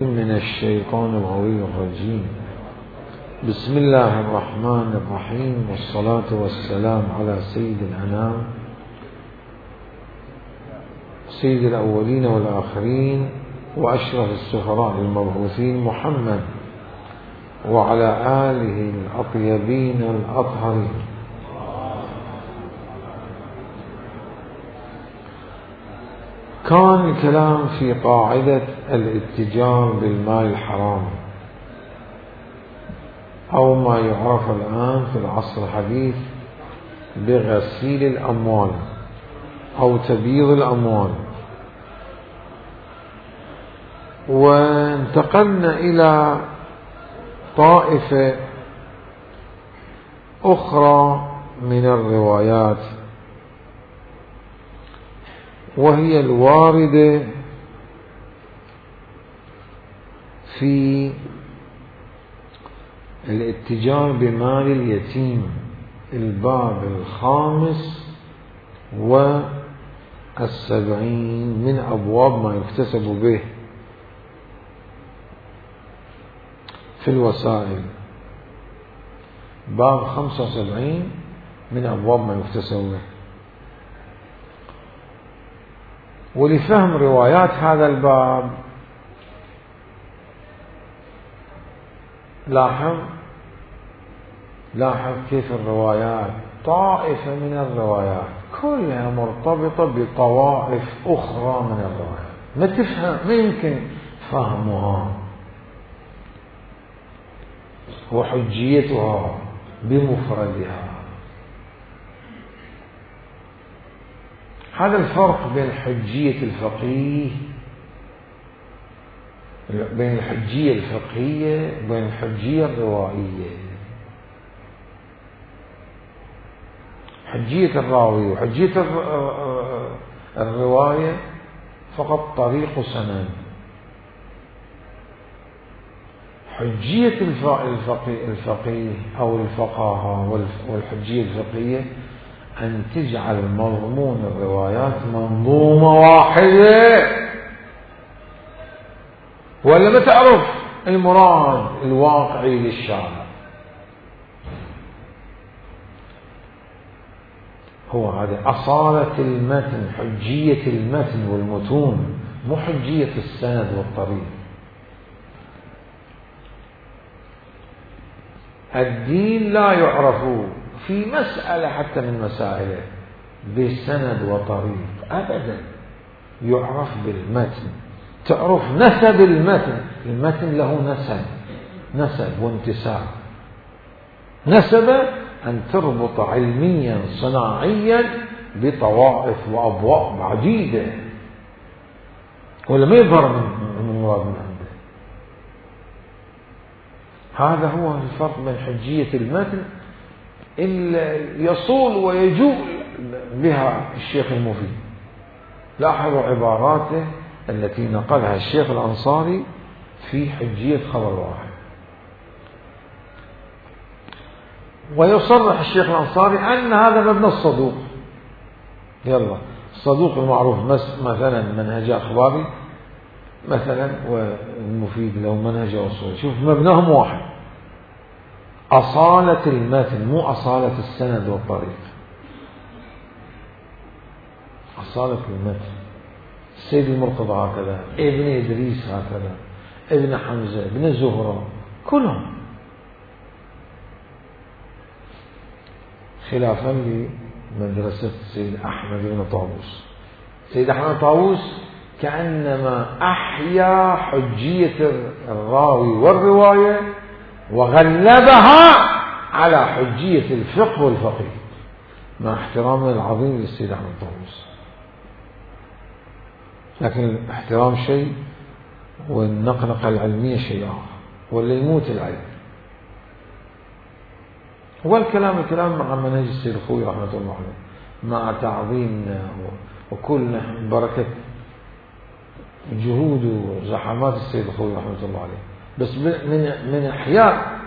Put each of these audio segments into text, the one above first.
من الشيطان الغوي الرجيم. بسم الله الرحمن الرحيم، والصلاة والسلام على سيد الأنام، سيد الأولين والآخرين، وأشرف السفراء المبعوثين محمد وعلى آله الأطيبين الأطهرين. كان الكلام في قاعدة الاتجار بالمال الحرام، أو ما يعرف الآن في العصر الحديث بغسيل الأموال أو تبييض الأموال. وانتقلنا إلى طائفة أخرى من الروايات، وهي الواردة في الاتجار بمال اليتيم، الباب 75 من أبواب ما يكتسب به في الوسائل، باب 75 من أبواب ما يكتسب به. ولفهم روايات هذا الباب لاحظ كيف الروايات، طائفة من الروايات كلها مرتبطة بطوائف أخرى من الروايات، ما يمكن فهمها وحجيتها بمفردها. هذا الفرق بين حجية الفقيه، بين الحجية الفقهية وبين الحجية الروائية. حجية الراوي وحجية الرواية فقط طريق سند. حجية الفقيه أو الفقاهة والحجية الفقهية أن تجعل مضمون الروايات منظومة واحدة، ولا ما تعرف المراد الواقعي للشارع. هو هذا أصالة المتن، حجية المتن والمتون، مو حجية السند والطريق. الدين لا يعرف في مسألة حتى من مسائله بسند وطريق أبدا، يعرف بالمتن. تعرف نسب المتن له نسب وانتساب. نسب أن تربط علميا صناعيا بطوائف وأبواب عديدة، ولا ما يظهر من مراد من عنده. هذا هو الفرق بين حجية المتن اللي يصول ويجول بها الشيخ المفيد. لاحظوا عباراته التي نقلها الشيخ الأنصاري في حجية خبر واحد. ويصرح الشيخ الأنصاري أن هذا مبنى الصدوق. يلا الصدوق المعروف مثلا منهج أخباري مثلا، والمفيد له منهج أصولي. شوف مبناهم واحد، أصالة المتن مو أصالة السند والطريق. أصالة المتن. السيد المرتضى هكذا، ابن إدريس هكذا، ابن حمزة، ابن زهرة، كلهم. خلافا لمدرسة السيد أحمد بن طاووس. السيد أحمد طاووس كأنما أحيا حجية الراوي والرواية وغلبها على حجية الفقه والفقيه، مع احترامنا العظيم للسيد أحمد طاووس. لكن الاحترام شيء والنقنقة العلمية شيء آخر، واللي يموت العلم. الكلام مع منهج السيد الخوي رحمة الله عليه، مع تعظيمنا وكل بركة جهود وزحمات السيد الخوي رحمة الله عليه. بس من إحياء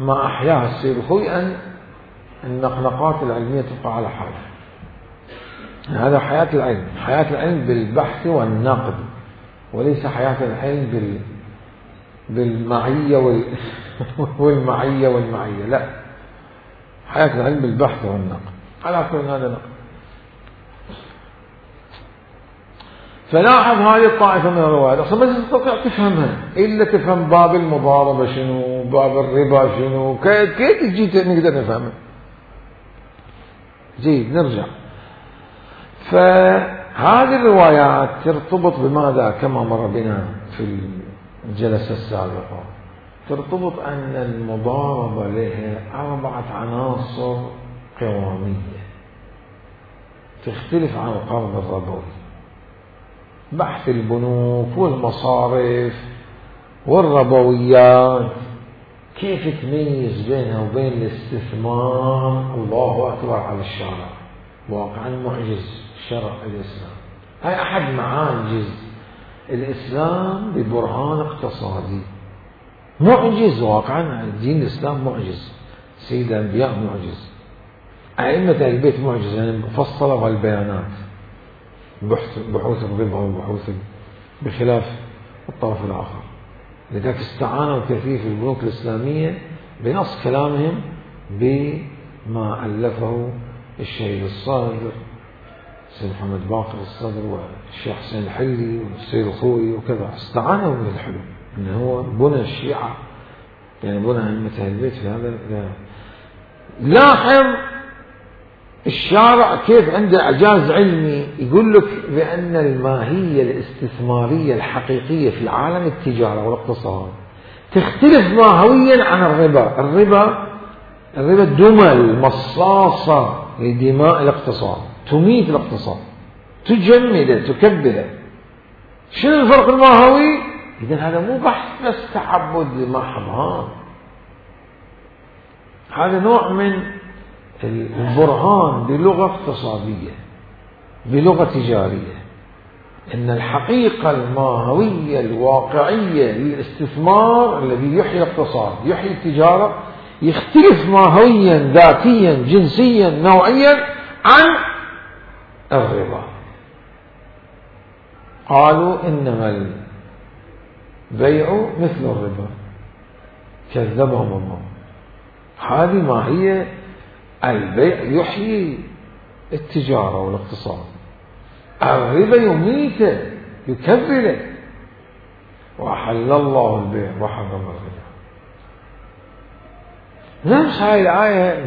ما أحياها السيد الخوي أن النقنقات العلمية تبقى على حالها. هذا حياة العلم، حياة العلم بالبحث والنقد وليس حياة العلم بالمعية والمعية، لا، حياة العلم بالبحث والنقد. على كل هذا نقد. فلاحظ هذه الطائفة من الروايات أصلا ما تستطيع تفهمها إلا تفهم باب المضاربة شنو، باب الربا شنو، كيف تجي نقدر نفهمها. جيد، نرجع. فهذه الروايات ترتبط بماذا؟ كما مر بنا في الجلسة السابقة، ترتبط أن المضاربة لها 4 عناصر قوامية تختلف عن القرض الربوي. بحث البنوك والمصارف والربويات كيف تميز بينها وبين الاستثمار؟ الله أكبر على الشارع، واقعا معجز شرع الإسلام. هاي أحد معاجز الإسلام ببرهان اقتصادي، معجز واقعا. دين الإسلام معجز، سيد الأنبياء معجز، أئمة البيت معجز، يعني مفصلة والبيانات، بحوث الربا والبحوث بخلاف الطرف الآخر. لذلك استعانوا كثير في البنوك الإسلامية بنص كلامهم بما ألفه الشهيد الصادر سيد محمد باقر الصدر والشيخ حسين الحلي والسيد الخوئي وكذا. استعانوا بالحلو إنه هو بنى الشيعة، يعني بنى أئمة البيت في هذا. لاحظ الشارع كيف عنده إعجاز علمي، يقول لك بأن الماهية الاستثمارية الحقيقية في عالم التجارة والاقتصاد تختلف ماهويا عن الربا. الربا دمل مصاصة لدماء الاقتصاد، تميت الاقتصاد، تجمده، تكبده. شنو الفرق الماهوي؟ إذن هذا مو بحث بس تعبد لمحض، هذا نوع من البرهان بلغة اقتصادية، بلغة تجارية، إن الحقيقة الماهوية الواقعية للاستثمار الذي يحيي الاقتصاد، يحيي التجارة، يختلف ماهويا ذاتيا جنسيا نوعيا عن الربا. قالوا إنما البيع مثل الربا، كذبهم الله. هذه ماهية البيع يحيي التجارة والاقتصاد، الربا يميته يكبره. وأحل الله البيع وحرم الربا. نفس هاي الآية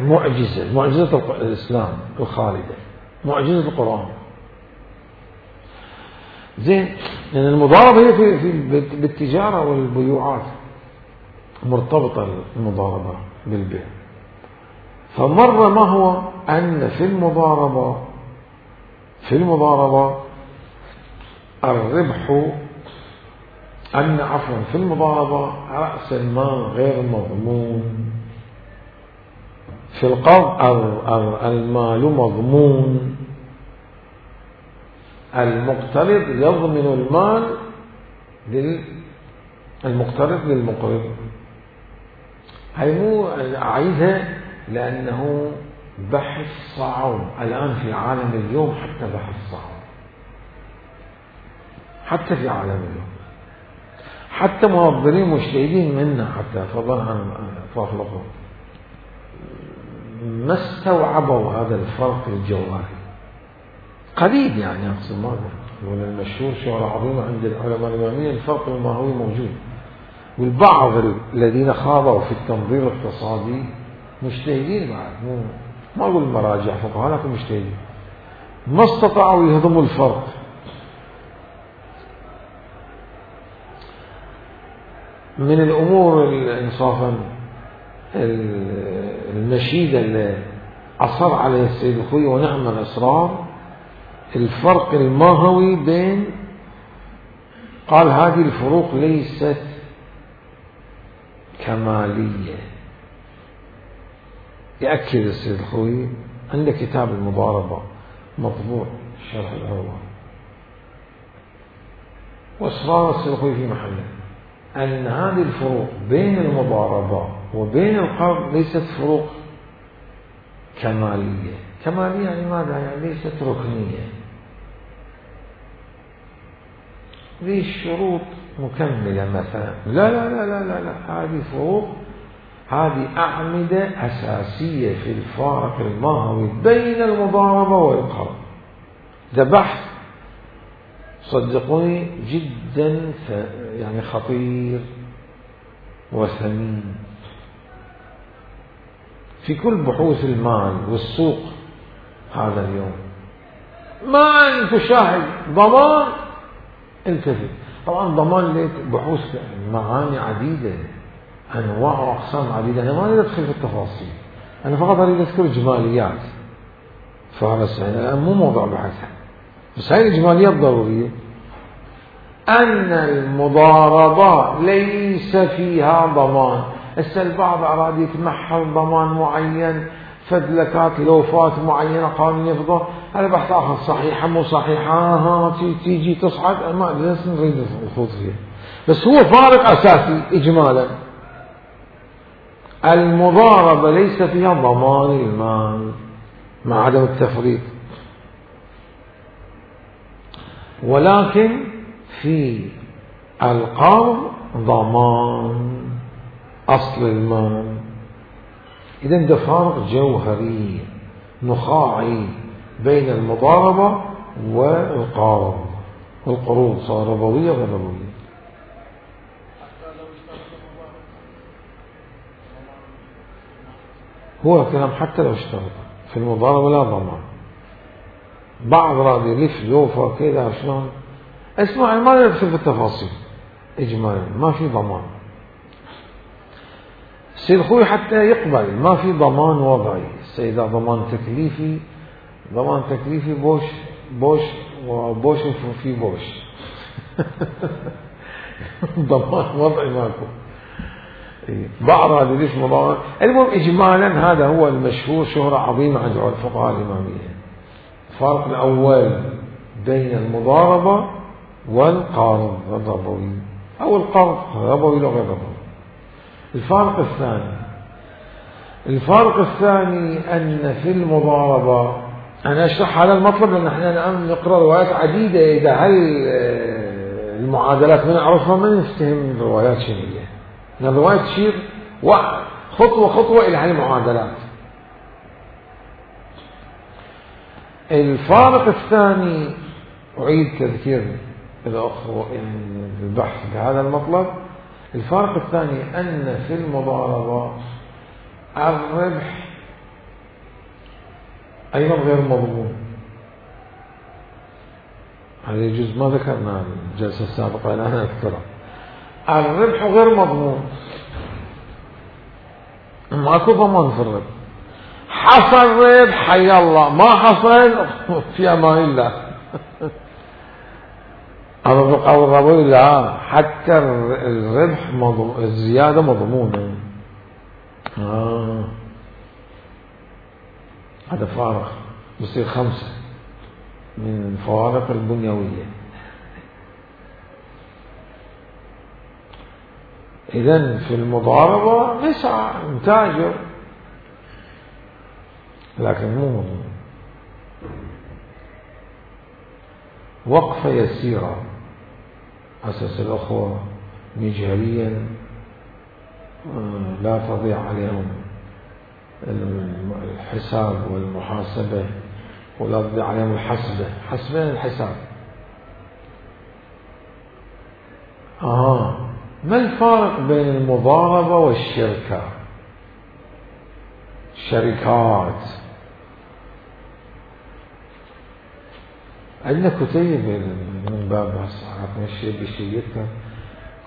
معجزة الإسلام الخالدة، معجزة القرآن. زين، لأن المضاربة هي في بالتجارة والبيوعات مرتبطة المضاربة بالبيع. فمر ما هو أن في المضاربة الربح، في المضاربة رأس المال غير مضمون، في القرض المال مضمون، المقترض يضمن المال المقترض للمقرض. هاي مو أعيدها لأنه بحث صعب الآن في عالم اليوم، حتى بحث صعب حتى في عالم اليوم، حتى منظرين مجتهدين منا حتى فضلا عن فاخلقهم ما استوعبوا هذا الفرق الجوهري. قريب يعني أقصد ما أقول المشهور شهرة عظيمة عند العلماء الإماميين، الفرق الماهوي موجود. والبعض الذين خاضوا في التنظير الاقتصادي مجتهدين بعد، ما أقول مراجع فقهاء لكن مجتهدين، ما استطاعوا يهضموا الفرق. من الأمور إنصافا المشيدة اللي أصر عليه السيد الخوئي ونعم الإصرار، الفرق الماهوي بين، قال هذه الفروق ليست كمالية. يأكد السيد الخوئي عند كتاب المضاربة مطبوع شرح العروة، وإصرار السيد الخوئي في محله أن هذه الفروق بين المضاربة وبين القرض ليست فروق كمالية. كمالية يعني ماذا؟ يعني ليست ركنية. ذي الشروط مكملة مثلا، لا لا لا لا لا, لا. هذه فروق، هذه أعمدة أساسية في الفارق الماهوي بين المضاربة والقرض. ده بحث صدقوني جدا يعني خطير وثمين في كل بحوث المال والسوق هذا اليوم. ما أن تشاهد ضمان الكذب. طبعا ضمان لك بحوث معاني عديدة، أنواع وأقسام عديدة، أنا ما أريد أدخل في التفاصيل، أنا فقط أريد أذكر جماليات، فبس يعني مو موضوع بحثها، بس هاي الإجماليات ضرورية. أن المضاربة ليس فيها ضمان. هسه البعض أراد يتمحل ضمان معين، فدلكات لوفات معينة قانون يفضل، هذا بحث آخر، صحيحة مو صحيحة، تيجي تصعد، ما نريد الخوض فيها، بس هو فارق أساسي إجمالا. المضاربة ليس فيها ضمان المال مع عدم التفريط، ولكن في القرض ضمان أصل المال. إذن ده فارق جوهري نخاعي بين المضاربة والقرض. القروض صار ربوية غير ربوية. هو كلام حتى لو اشترط في المضاربة لا ضمان. بعض راد يلف لوفة كذا شلون، اسمع ما يدخل في التفاصيل، إجمالا ما في ضمان. السيد خوي حتى يقبل ما في ضمان وضعي، السيدة ضمان تكليفي، ضمان تكليفي بوش بوش وبوش في بوش ضمان وضعي ماكو. بعض هذا ليش مضامن. المهم إجمالا هذا هو المشهور شهرة عظيمة عند الفقهاء الإمامية. الفرق الأول بين المضاربة والقرض الربوي، أو القرض ربوي وغير ربوي. الفرق الثاني أن في المضاربة، أنا أشرح هذا المطلب لأن احنا الآن نقرأ روايات عديدة، إذا هل المعادلات ما نعرفها ما نفتهم الروايات شنو هي، لأن الروايات تشير خطوة خطوة إلى هذه المعادلات. الفارق الثاني أعيد تذكير الأخوة يعني البحث بهذا المطلب. الفارق الثاني أن في المضاربة الربح أيضا غير مضمون. هذا يجوز ما ذكرنا الجلسة السابقة الآن أذكره. الربح غير مضمون، ماكو ضمان في الربح. حصل ربح حي الله، ما حصل في أمان الله. أو الربوي لا، حتى الربح الزيادة مضمونة. هذا فارق بصير 5 من الفوارق البنيوية. إذن في المضاربة نسعى نتاجر، لكن مو مضمون. وقفة يسيرة أساس الأخوة مجهريا لا تضيع عليهم الحساب والمحاسبة، ولا تضيع عليهم الحسبة، حسبين الحساب. ما الفارق بين المضاربة والشركة؟ الشركات عندنا كتيب من باب عرفنا الشيء بشيء،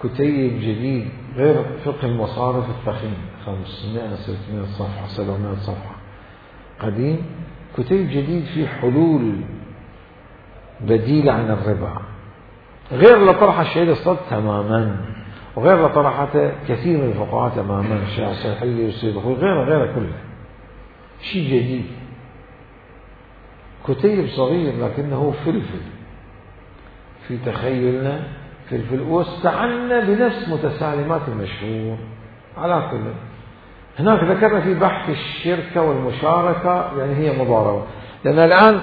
كتيب جديد غير فقه المصارف الثخين 500 600 صفحة 700 صفحة قديم، كتيب جديد فيه حلول بديلة عن الربا، غير لطرح الشيء الصد تماما، وغير لطرحته كثير من الفقهاء تماما، الشيخ الحلي والسيد الخوي غير كله شيء جديد. كتيب صغير لكنه فلفل في تخيلنا، فلفل، واستعنا بنفس متسالمات المشهور. على كل هناك ذكرنا في بحث الشركة والمشاركة، يعني هي مضاربة، لأن الآن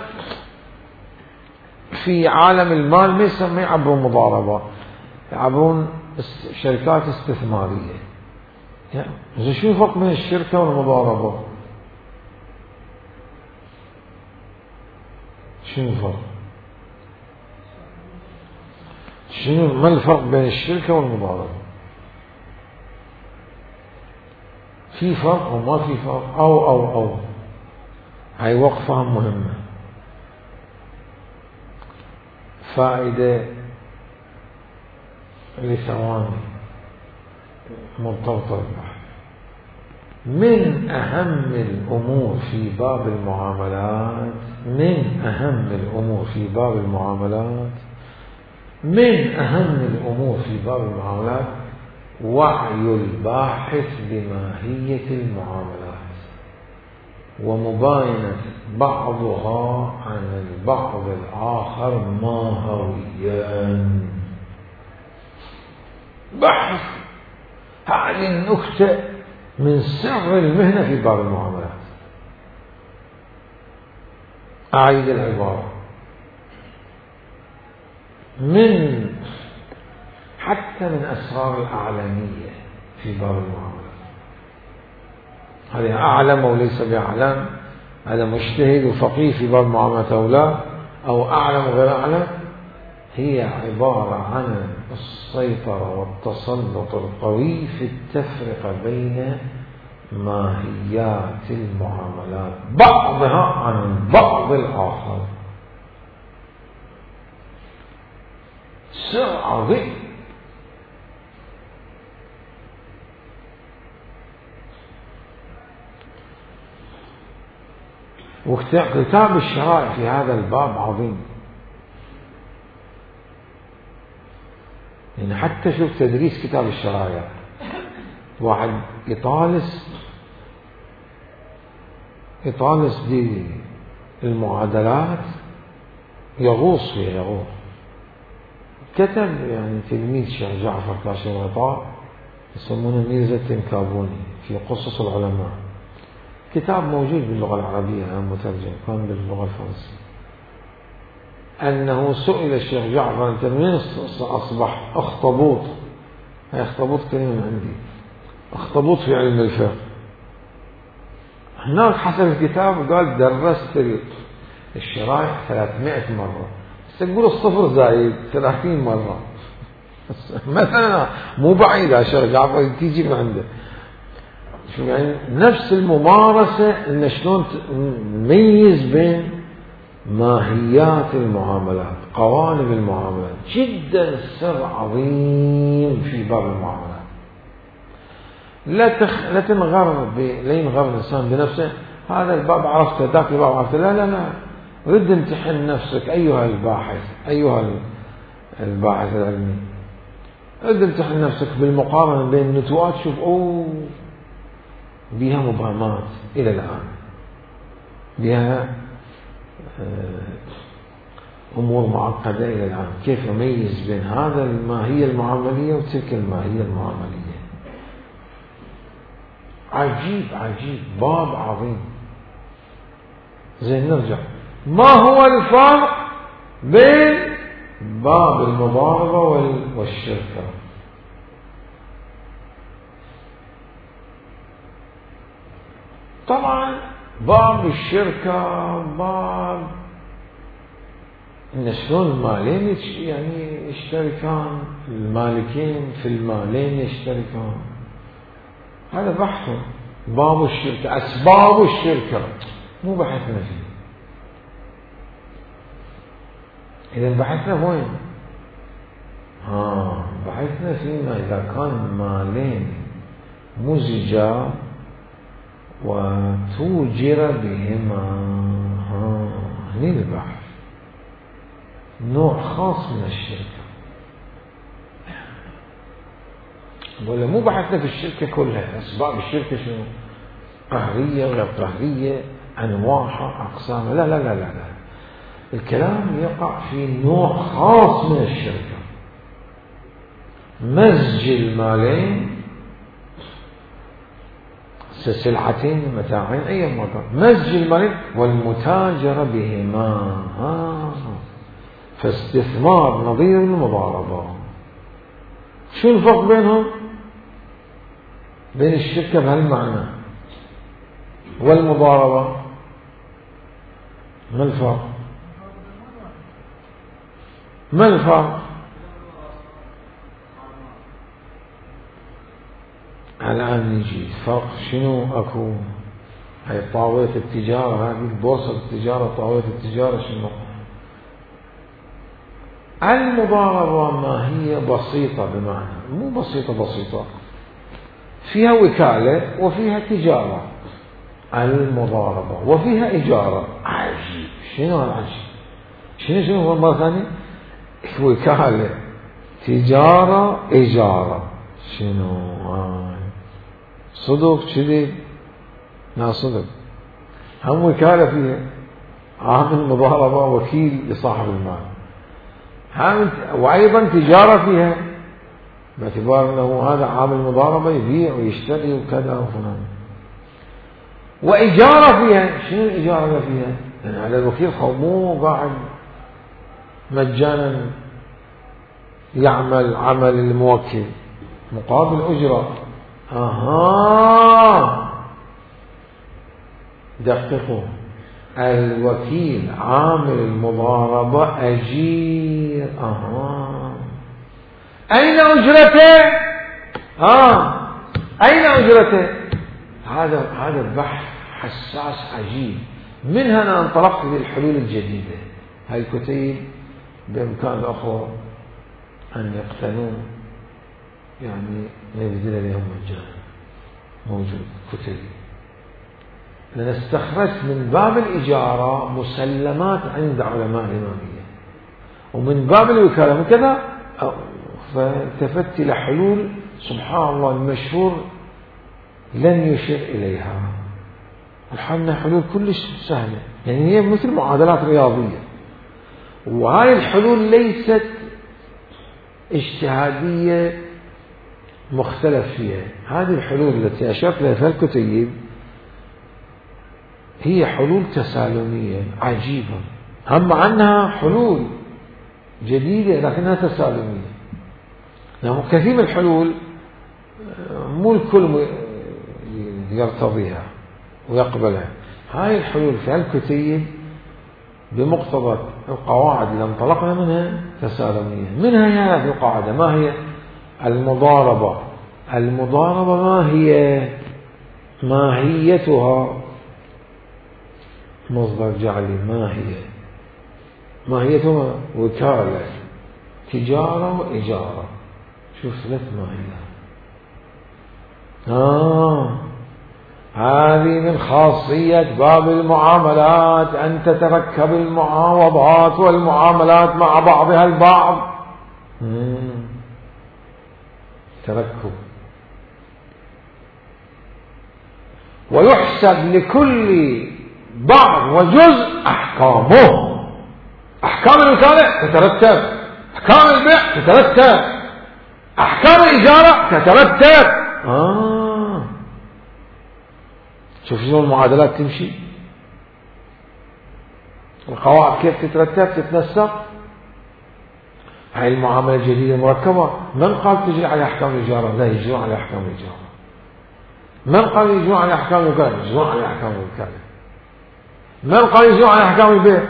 في عالم المال ما يعبرون مضاربة، يعبرون شركات استثمارية. يعني شو الفرق بين الشركة والمضاربة؟ شنو الفرق؟ ما الفرق بين الشركة والمضاربة؟ في فرق وما في فرق؟ أو هاي وقفة مهمة. فائدة لثواني مرتبطة بالبحث. من أهم الأمور في باب المعاملات، وعي الباحث بماهية المعاملات ومباينة بعضها عن البعض الآخر ماهويا. بحث هذه النكتة من سر المهنة في باب المعاملات. أعيد العبارة، حتى من أسرار الأعلامية في باب المعاملات. هذا أعلم وليس بأعلم، هذا مجتهد وفقيه في باب المعاملات أو لا، أو أعلم وغير أعلم، هي عبارة عن السيطرة والتسلط القوي في التفرقة بين ماهيات المعاملات بعضها عن البعض الآخر. سر عظيم. وكتاب الشرائع في هذا الباب عظيم. يعني حتى شوف تدريس كتاب الشرائع، واحد يطالس دي المعادلات يغوص فيها. كتب يعني تلميذ الشيخ جعفر كاشف الغطاء يسمونه ميرزا التنكابوني في قصص العلماء، كتاب موجود باللغة العربية مترجم، كان باللغة الفرنسية. أنه سئل الشيخ جعفر أنت من أصبح أخطبوط؟ هي أخطبوط كلمة من عندي، أخطبوط في علم الفقه. هناك حسب الكتاب قال درست الشرائع 300 مرة، تقول الصفر زايد 30 مرة مثلا، مو بعيدة الشيخ جعفر تيجي من عنده. شو يعني نفس الممارسة إن شلون نميز بين ماهيات المعاملات، قوالب المعاملات، جدا سر عظيم في باب المعاملات. لا ينغر الإنسان بنفسه، هذا الباب عرفته، ذاك الباب عرفته، لا رد امتحن نفسك أيها الباحث العلمي، رد امتحن نفسك بالمقارنة بين النتوءات، شوف بها مبهمات إلى الآن، بها أمور معقدة إلى الآن، كيف نميز بين هذا الماهية المعاملية وتلك الماهية المعاملية. عجيب باب عظيم. زين نرجع، ما هو الفرق بين باب المضاربة والشركة؟ طبعا باب الشركة باب إن شلون المالين يعني يشتركان، المالكين في المالين يشتركان، هذا بحث. باب الشركة، أسباب الشركة مو بحثنا فيه. إذا بحثنا وين؟ بحثنا فيما إذا كان مالين مزجا وتوجر بهما، هني البحث، نوع خاص من الشركة. ولا مو بحثنا في الشركة كلها، أسباب الشركة شنو؟ قهرية غير قهرية، أنواعها أقسامها، لا. الكلام يقع في نوع خاص من الشركة، مزج المالين، سلعتين متاعين أي مكان، مزج المالين والمتاجرة بهما. فاستثمار نظير المضاربة. شو الفرق بينهم؟ بين الشركة بهالمعنى والمضاربة ما الفرق؟ ما الفرق؟ الآن نجي فرق شنو أكو؟ هاي طاولة التجارة، هذه بورصة التجارة، طاولة التجارة شنو؟ المضاربة ما هي بسيطة، بمعنى مو بسيطة فيها وكالة وفيها تجارة. المضاربة وفيها إجارة. عجيب. شنو العجيب؟ شنو هو مرة ثانية؟ وكالة، تجارة، إجارة. شنو صدق كذب؟ لا صدق. هم وكالة فيها، عامل مضاربة وكيل لصاحب المال، وأيضا تجارة فيها، باعتبار أنه هذا عامل مضاربة يبيع ويشتري وكذا وفلان. وإجارة فيها. شنو الإجارة اللي فيها؟ يعني على الوكيل مو قاعد مجانا يعمل عمل الموكل مقابل أجرة. دققوا، الوكيل عامل المضاربة أجير. أين أجرته؟ أين أجرته؟ هذا البحث حساس عجيب. من هنا انطلقت للحلول الجديدة. هاي الكتيب بإمكان الأخوة أن يقتنون، يعني نبذل لهم مجانا، موجود كتيب. لأن استخرجت من باب الإجارة مسلمات عند علماء الإمامية، ومن باب الوكالة وكذا، فالتفت إلى حلول سبحان الله المشهور لن يشير إليها. الحمد حلول كلش سهلة، يعني هي مثل معادلات رياضية. وهذه الحلول ليست اجتهادية مختلف فيها. هذه الحلول التي أشرت لها في الكتيب هي حلول تسالمية عجيبة، هم عنها حلول جديدة لكنها تسالمية. يعني كثير من الحلول مو الكل يرتضيها ويقبلها. هاي الحلول في الكتيب بمقتضى القواعد اللي انطلقنا منها تسالمية. منها هذه القاعدة. ما هي المضاربة؟ المضاربة ما هي ماهيتها؟ مصدر جعلي. ما هي ماهيتها؟ وكالة، تجارة، وإجارة. شوف ثلاث ماهيات. هذه من خاصية باب المعاملات أن تتركب المعاوضات والمعاملات مع بعضها البعض. تركب. ويحسب لكل بعض وجزء أحكامه. أحكام الوكالة تترتب، أحكام البيع تترتب، أحكام الإجارة تترتب. شوف شنو المعادلات تمشي، القواعد كيف تترتب تتنسق. هاي المعاملة الجديدة مركبة. من قال تجري على أحكام الإجارة؟ لا، يجرون على أحكام الإجارة. من قال يجرون على أحكام الوكالة؟ يجرون على أحكام الوكالة. من قال يجرون على أحكام البيع؟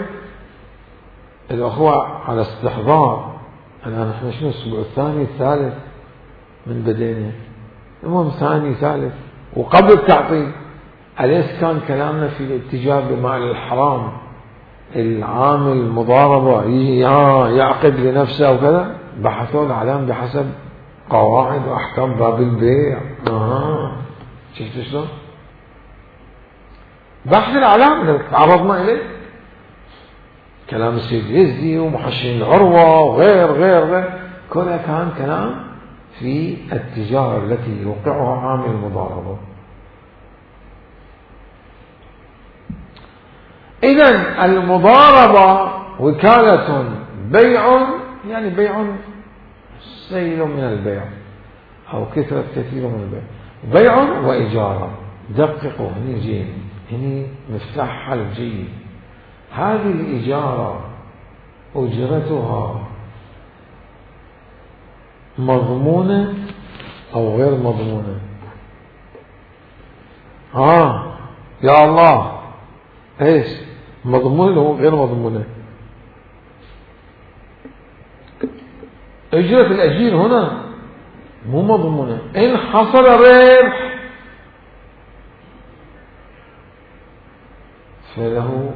الأخوة على استحضار. الآن احنا شنو الأسبوع الثاني الثالث من بدينا، المهم ثاني ثالث وقبل التعطيل. أليس كان كلامنا في الاتجاه بمال الحرام؟ العامل المضاربة يعقد لنفسه وكذا، بحثوا الأعلام بحسب قواعد وأحكام باب البيع. شفتوا شلون؟ بحث الأعلام اللي تعرضنا إليه، كلام السيد يزدي ومحشين العروة وغير غير غير، كلها كان كلام في التجارة التي يوقعها عامل المضاربة. إذن المضاربة وكالة بيع، يعني بيع سيل من البيع أو كثرة كثير من البيع، بيع وإجارة. دققوا هني جيد، هني مفتاح حل جيد. هذه الإجارة أجرتها مضمونة أو غير مضمونة؟ يا الله، ايش مضمونة أو غير مضمونة؟ أجرة الأجير هنا مو مضمونة. إن حصل ربح فله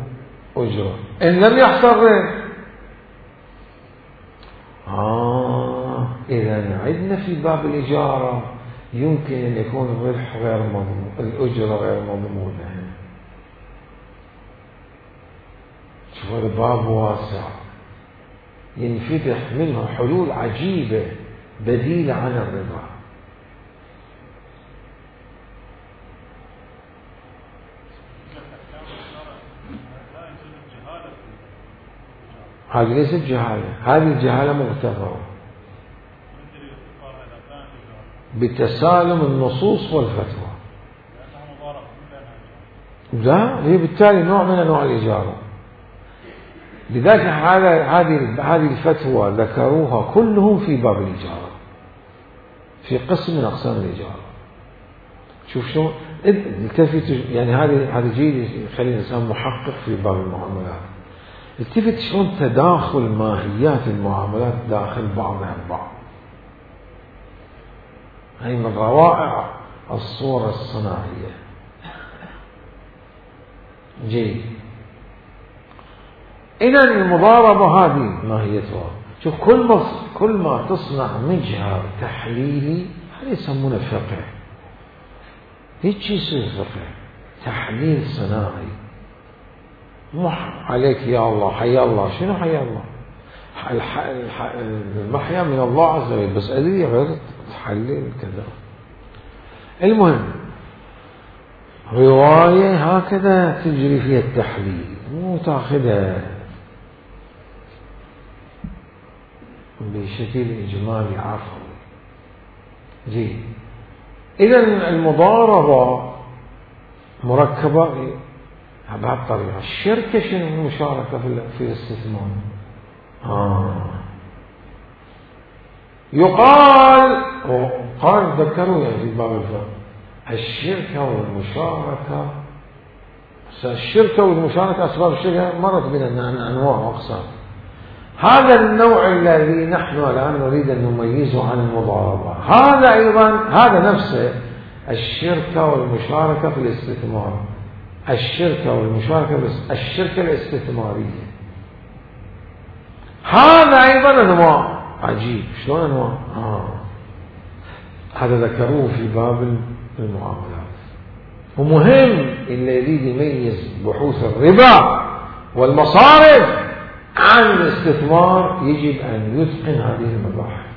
أجرة، إن لم يحصل ربح إذا عندنا في باب الإجارة يمكن أن يكون الربح غير مضمون، الأجرة غير مضمونة. شوف هذا باب واسع ينفتح منه حلول عجيبة بديلة عن الربا. هذه ليست جهالة، هذه الجهالة مغتفرة بتسالم النصوص والفتوى. لا، هي بالتالي نوع من أنواع الإجارة. لذلك هذه الفتوى ذكروها كلهم في باب الإجارة، في قسم من أقسام الإجارة. شوف شو التفت، يعني هذا جيد يخلي الإنسان محقق في باب المعاملات. التفت شلون تداخل ماهيات المعاملات داخل بعضها البعض. هي من روائع الصورة الصناعية. جيد. إذا المضاربة هذه ماهيتها. شوف كل ما تصنع مجهر تحليلي هذا يسمونه فقه. هيك يصير فقه، تحليل صناعي. مو عليك يا الله حيا الله، شنو حيا الله؟ المحيا من الله عز وجل، بس أدري غير تحلل كذا. المهم رواية هكذا تجري فيها التحليل، مو تاخذها بشكل إجمالي عفوي. زين. إذا المضاربة مركبة بهالطريقة. الشركة شنو المشاركة في الاستثمار؟ قال ذكروا يعني في باب الفقه الشركة والمشاركة. الشركة والمشاركة أسباب الشركة مرت بنا أنواع وأقسام. هذا النوع الذي نحن الآن نريد أن نميزه عن المضاربة، هذا أيضا هذا نفسه الشركة والمشاركة في الاستثمار. الشركة والمشاركة الشركة الاستثمارية هذا أيضا أنواع. عجيب شلون أنواع. هذا ذكروه في باب المعاملات. ومهم اللي يريد يميز بحوث الربا والمصارف عن الاستثمار يجب أن يتقن هذه المباحث.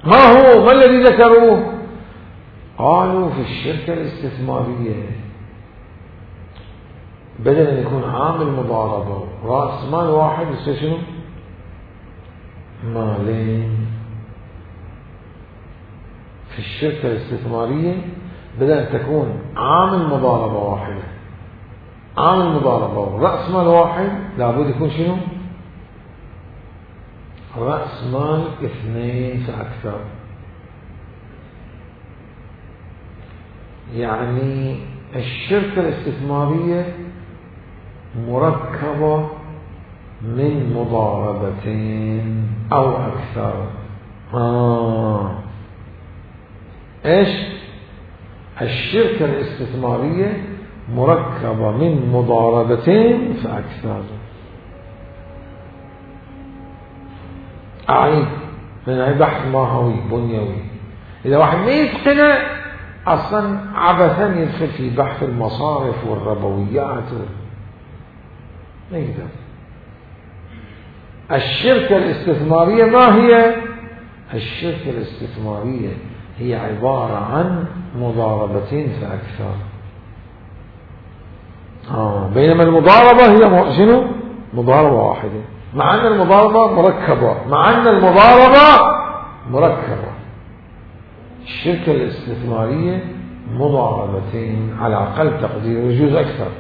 ما الذي ذكروه؟ قالوا في الشركة الاستثمارية بدل أن يكون عامل مضاربة رأس مال واحد يصير شنو؟ مالين. في الشركة الاستثمارية بدل أن تكون عامل مضاربة واحدة، عامل مضاربة ورأس مال واحد، لابد يكون شنو؟ رأس مال 2 فأكثر. يعني الشركة الاستثمارية مركبة من مضاربتين أو أكثر. إيش؟ الشركة الاستثمارية مركبة من مضاربتين فأكثر. أعيد من بحث ماهوي بنيوي. إذا واحد ما يتقنه أصلا عبثا يدخل في بحث المصارف والربويات ما يقدر. الشركة الاستثمارية ما هي؟ الشركة الاستثمارية هي عبارة عن مضاربتين فأكثر. بينما المضاربة هي شنو؟ مضاربة واحدة، مع أن المضاربة مركبة. الشركة الاستثمارية مضاربتين على أقل تقدير، يجوز أكثر.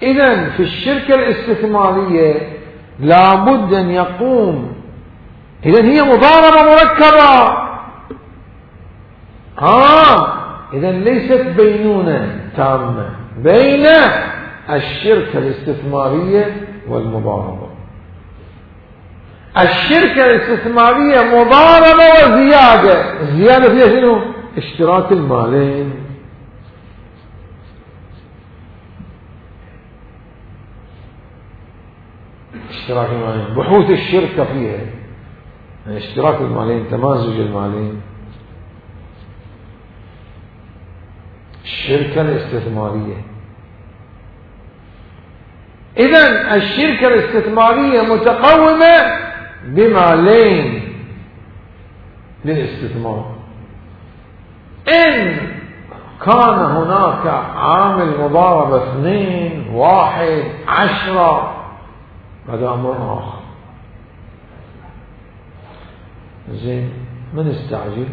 إذن في الشركة الاستثمارية لابد أن يقوم، إذن هي مضاربة مركبة، إذن ليست بينونة تامة بين الشركة الاستثمارية والمضاربة. الشركة الاستثمارية مضاربة وزيادة، الزيادة فيها شنو؟ اشتراك المالين. اشتراك المالين بحوث الشركة فيها، يعني اشتراك المالين، تمازج المالين. الشركة الاستثمارية، إذن الشركة الاستثمارية متقومة بمالين للاستثمار. إن كان هناك عامل مضاربة 2 1 10 هذا أمر آخر. زين، ما نستعجل،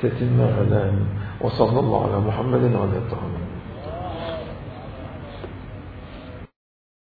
تتم غدا. وصلى الله على محمد وعلى آله.